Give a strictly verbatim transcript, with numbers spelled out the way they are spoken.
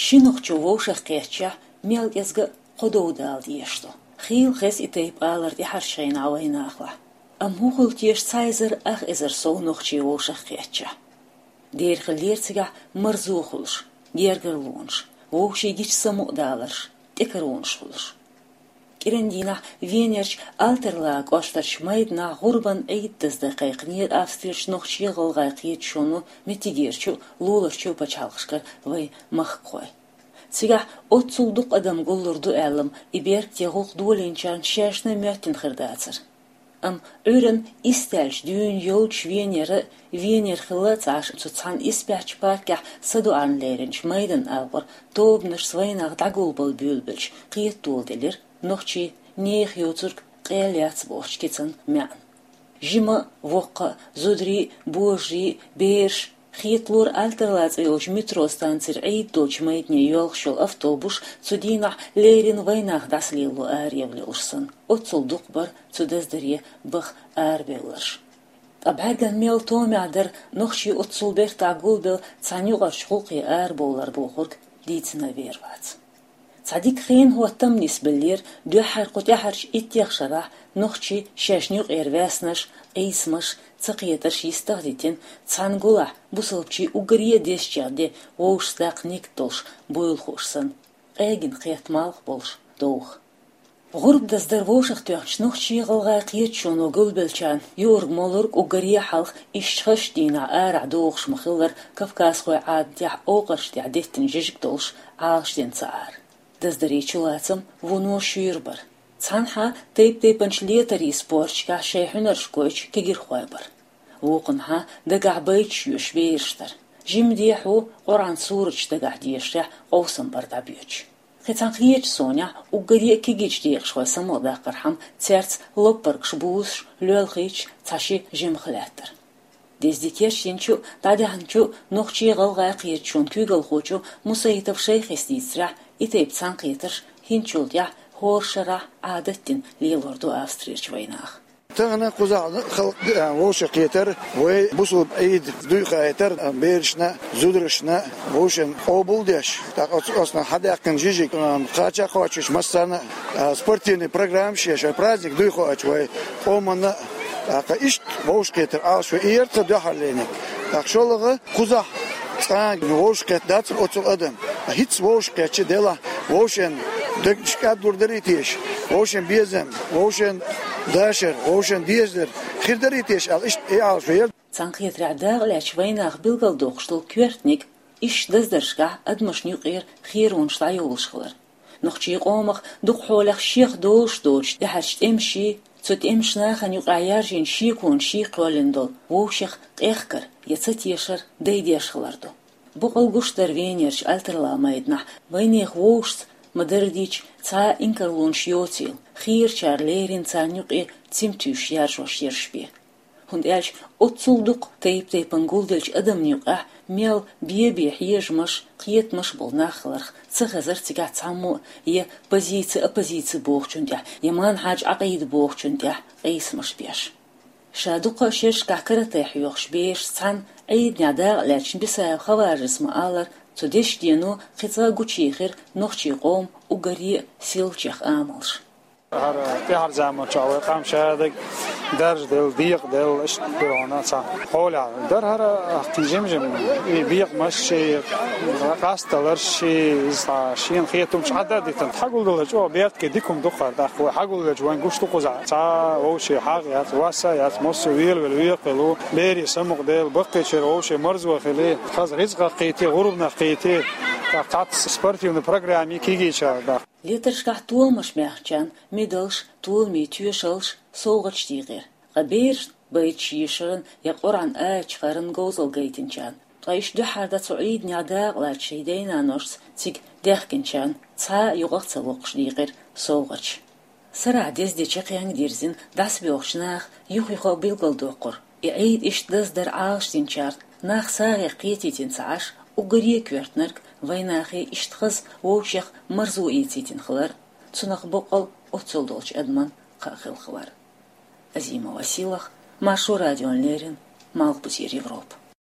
Ши нохчо вовшах кхеттача, мел кӀезига кхо дов дала дезаш ду. Хийла хеза и тайпа алар тӀаьхьарчу хенахь вайнахалахь. Амма хӀун хуьлу теша цхьа эзар ах эзар сов нохчий вовшах кхеттача? Дера хиллера цигахь марзо хуьлуш, гергарлонаш, вовшийн гича самукъадаларш, тӀекаронаш хуьлуш. КӀиран дийнахь Венерчу Альтерлаа кӀоштарчу майданахь гӀурбан Ӏийд даздан кхайкхинера Австрерчу нохчийн-гӀалгӀайн кхеташоно меттигерчу а, луларчу а пачхьалкхашкара вайн махкахой. Цигахь оццул дукха адам гуллур ду аьлла-м, и беркате гӀуллакх долийначарна шаьшна а моьттина хир дацара. Амма Ӏуьйранна исс даьлча дуьйна йолчу Венера, Венера хилла а ца Ӏаш, цу цхьана исбаьхьчу паркехь садоӀарна леринчу майданан агӀор тобанашца вайнах дӀагулбала буьйлабелча, кхета доладелира нохчийн «Нехан йоцург къел яц» бохучу кицан маьӀна. Жима а, воккха а, зударий а, божарий а, бераш а, хеталора Альтерлаа цӀе йолчу метро станцера Ӏийд долчу майдане йоьлхуш йолу автобус цу дийнахь леррина вайнах дӀасалело араевлла йолуш санна, оццул дукха бара цу даздаре баха арабевлларш. Ткъа бӀаьргана мел томехь дара нохчий оццул бертахь гулбелла цхьана юкъарчу гӀуллакхе арабовлар бохург дийцина вер вац. Цхьа дика хенан хӀоттам нисбеллера дуьххьара кху тӀаьхьарчу иттех шарахь нохчий шаьшна юкъера ваьснарш, къийсамаш, цакхетарш йистах а дитина, цхьана гулахь бусалбачийн уггаре а дезачех де вовшашца даккха нигат долуш буйла хууш санна, къегина кхетта малх болуш довха. ГӀурба даздар вовшахтоьхначу нохчийн-гӀалгӀайн кхеташоно гулбеллачарна юург-молург уггаре а хьалха ишттачу дийнахь арахь догӀуш ма-хиллара, кавказхойн Ӏадатехь, овкъарш тӀехь деттина жижиг долуш, Ӏалашдина ца Ӏара. Даздарийн чулацам вуно шуьйра бара. Цхьанхьа тайп-тайпанчу летарийн спорташкахь шайн хьуьнарш гойтуш кегирхой бара. Вукхунхьа дагахь байташ йоьшуш бераш дара. Жимма дехьо Къуръан сураташ дагахь дешарехь къовсам бара дӀабоьдуш. Кхин цхьана кхечу сонехь уггаре а кегийчу декъашхойн самукъадаккхархьама, цаьрца лоппаргаш бузуш, лоьлхуьйтуш цхьа ши жимах лаьттара. Деза де кечйинчу а, дӀадаьхьначу а нохчийн-гӀалгӀайн кхеташонан куьйгалхочо Мусаитов Шайхис дийцарехь, и тайпа цхьаьнакхетарш хӀинцачул тӀаьхьа хӀора шарахь Ӏадат дина лелор ду Австрерчу вайнаха. Тахана кхузахь халкъ вовшахкхетар, вай бусалба Ӏийд дуй хаийтар, берашна а, зударшна а вовшийн къобал деш, тӀаккха оцу, оцунах хьадаьккхина жижиг, кхача а кхочуш массарна а, спортивный программаш еш, вай праздник дуй хоуьйтуш вай къоманна а, тӀаккха иштта вовшахкхетар Ӏалашо, и яра тхан дуьххьарлерниг. ТӀаккха шолгӀа кхузахь цкъа а вовшахкхетта дацара оццул адам. ХӀинцца вовшахкхетча, делахь, вовшийн дегнаш кӀаддур дарий теша, вовшийн безам, вовшийн дашар, вовшийн дезар хир дарий теша аьлла, иштта и Ӏалашо яра. Цхьаьнакхетарехь дакъалаьцначу вайнаха билгалдоккхуш долу коьртаниг, иштта даздаршкахь адамашна юкъера херонаш дӀайолуш хилар. Нохчийн къомах дукха хьолах шех долуш доцуш тӀаьхьарчу тӀемашший, цу тӀемаша нахана юкъахь яржийна шеконашший кхоьллина долу вовшех къехкар я цатешар дайдеш хилар ду. Бакъ гуш дара Венерчу Альтерлаа майданахь вайнехан вовшашца ма-дарра дийцича цхьа а инкарлонаш йоцийла, хийрачара леррина царна юкъе цим туьйсуш яржош ерш бен. ХӀунда аьлча оццул дукха тайп-тайпана гулделлачу адамна юкъахь мел бен-бен хьежамаш, кхетамаш болу нах хиларх ца хезара цигахь цхьаммо а я позици-оппозици бохучунна тӀехь, я манхьаж-Ӏакъида бохучунна тӀехь къийсамаш беш. Ша дукха шерашкахь каратэ хьоьхуш берашца цхьаьна Ӏийданехь дакъалаьцначу Бисаев Хаважис ма-аллара, цу дешдено кхин цкъа а гучуехира нохчийн къоман уггаре а сийлахьчех амалш. ХӀара тӀаьхьара заманчохь вай къам шадерг даржаделла, декъаделла, иштта хир хьуна цхьа хьолехь дара хӀара кхин жим-жим и бекъамаш, и къасталарш, и иза цхьа шена хетамаш Ӏадда а дитина. Хьагулделла чӀогӀа беркате дика хӀума ду-кх хӀара тӀаккха. Вай хьагулделча вайн гуш ду кхузахь. Цхьа вовшийн хьагӀ яц, вас а яц, массо а велавелла векхавелла ву, берийн самукъаделла, баккхийчеран вовшийн марзо хили, хаза рицкъах кхийти, гӀурбанах кхийти, тӀаккха цхьацца спортивни программи кегийчара даккха. Летаршкахь толамаш баьхначарна медалш, толамийн тоьшаллаш, совгӀаташ дийкъира. Ткъа берашна байташ йийшаран я Къуръан аяташ харан говзалла гайтинчарна, ткъа иштта дуьххьара дан цу Ӏийданехь дакъалаьцначу шайн дайн-наношца цига даьхкинчарна цхьа а юкъах ца воккхуш дийкъира совгӀаташ. Сарахь деза де чаккхенга дирзина дӀасабоьлхучу наха юх-юха билгалдоккхура, и Ӏийд иштта даздар Ӏалашдинчарна нах сагӀех кхетийтина ца Ӏаш, уггаре а коьртаниг вайнахе иштта хаза вовшех марзо эцийтина хилар цунах боккъал оццул долчу адаман кхаъ хилла хилар. Азимова Сийлаха, Маршо радиона леррина, Малхбузера Европа.